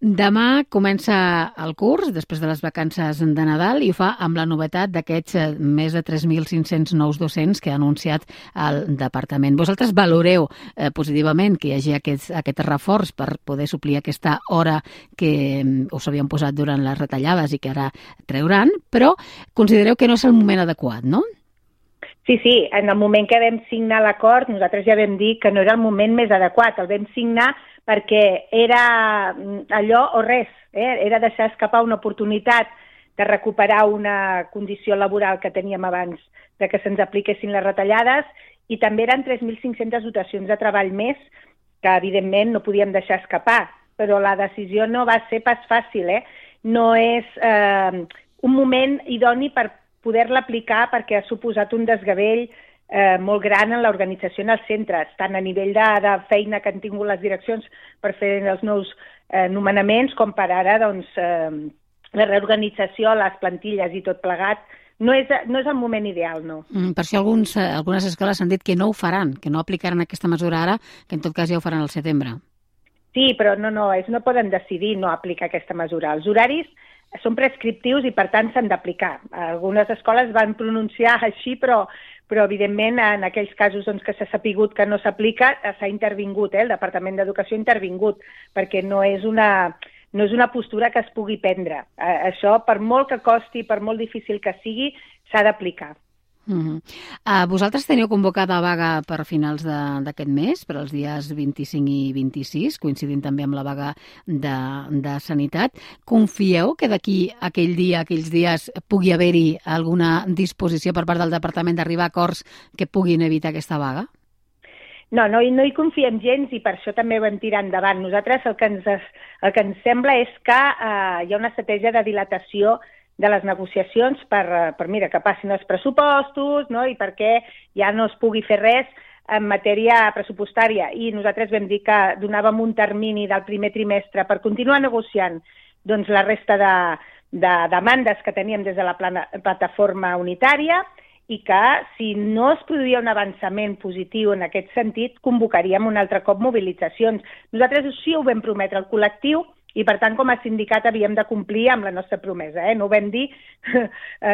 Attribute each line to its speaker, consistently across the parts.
Speaker 1: Demà comença el curs, després de les vacances de Nadal, i ho fa amb la novetat d'aquests més de 3.500 nous docents que ha anunciat el departament. Vosaltres valoreu positivament que hi hagi aquest reforç per poder suplir aquesta hora que us havien posat durant les retallades i que ara treuran, però considereu que no és el moment adequat, no?
Speaker 2: Sí, en el moment que vam signar l'acord, nosaltres ja vam dir que no era el moment més adequat. El vam signar perquè era allò o res, era deixar escapar una oportunitat de recuperar una condició laboral que teníem abans de que se'ns apliquessin les retallades, i també eren 3.500 dotacions de treball més que, evidentment, no podíem deixar escapar. Però la decisió no va ser pas fàcil, No és un moment idoni per poder-la aplicar, perquè ha suposat un desgavell molt gran en l'organització en els centres, tant a nivell de feina que han tingut les direccions per fer els nous nomenaments, com per ara la reorganització, les plantilles i tot plegat. No és el moment ideal, no.
Speaker 1: Per això algunes escoles han dit que no ho faran, que no aplicaran aquesta mesura ara, que en tot cas ja ho faran al setembre.
Speaker 2: Sí, però no poden decidir no aplicar aquesta mesura. Els horaris són prescriptius i, per tant, s'han d'aplicar. Algunes escoles van pronunciar així, però evidentment, en aquells casos que s'ha sapigut que no s'aplica, s'ha intervingut, el Departament d'Educació ha intervingut, perquè no és una postura que es pugui prendre. Això, per molt que costi, per molt difícil que sigui, s'ha d'aplicar.
Speaker 1: Vosaltres teniu convocada vaga per finals d'aquest mes, per als dies 25 i 26, coincidint també amb la vaga de Sanitat. Confieu que d'aquí aquells dies pugui haver-hi alguna disposició per part del Departament d'arribar a acords que puguin evitar aquesta vaga?
Speaker 2: No hi confiem gens, i per això també ho hem tirat endavant. Nosaltres el que ens sembla és que hi ha una estratègia de dilatació de les negociacions per que passin els pressupostos, no? I perquè ja no es pugui fer res en matèria pressupostària. I nosaltres vam dir que donàvem un termini del primer trimestre per continuar negociant la resta de demandes que teníem des de la plataforma unitària, i que si no es produïa un avançament positiu en aquest sentit, convocaríem un altre cop mobilitzacions. Nosaltres així ho vam prometre al col·lectiu, i, per tant, com a sindicat havíem de complir amb la nostra promesa. No ho vam dir,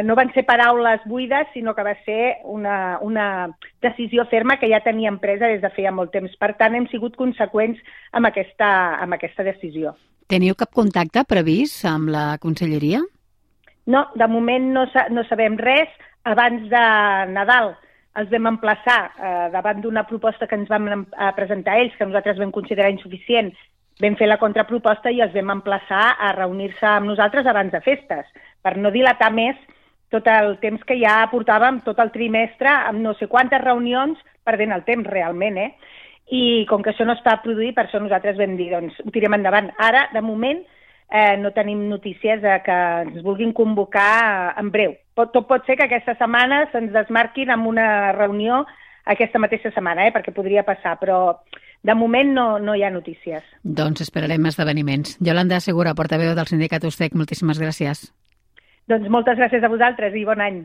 Speaker 2: no van ser paraules buides, sinó que va ser una decisió ferma que ja teníem presa des de feia molt temps. Per tant, hem sigut conseqüents amb aquesta decisió.
Speaker 1: Teniu cap contacte previst amb la Conselleria?
Speaker 2: No, de moment no sabem res. Abans de Nadal els vam emplaçar davant d'una proposta que ens van presentar ells, que nosaltres vam considerar insuficient. Vam fer la contraproposta i els vam emplaçar a reunir-se amb nosaltres abans de festes, per no dilatar més tot el temps que ja portàvem, tot el trimestre, amb no sé quantes reunions, perdent el temps realment, I com que això no es va produir, per això nosaltres vam dir, ho tirem endavant. Ara, de moment, no tenim notícies que ens vulguin convocar en breu. Tot pot ser que aquesta setmana se'ns desmarquin amb una reunió aquesta mateixa setmana, perquè podria passar, però de moment no hi ha notícies.
Speaker 1: Doncs esperarem esdeveniments. Yolanda Segura, portaveu del sindicat USTEC, moltíssimes gràcies.
Speaker 2: Doncs moltes gràcies a vosaltres i bon any.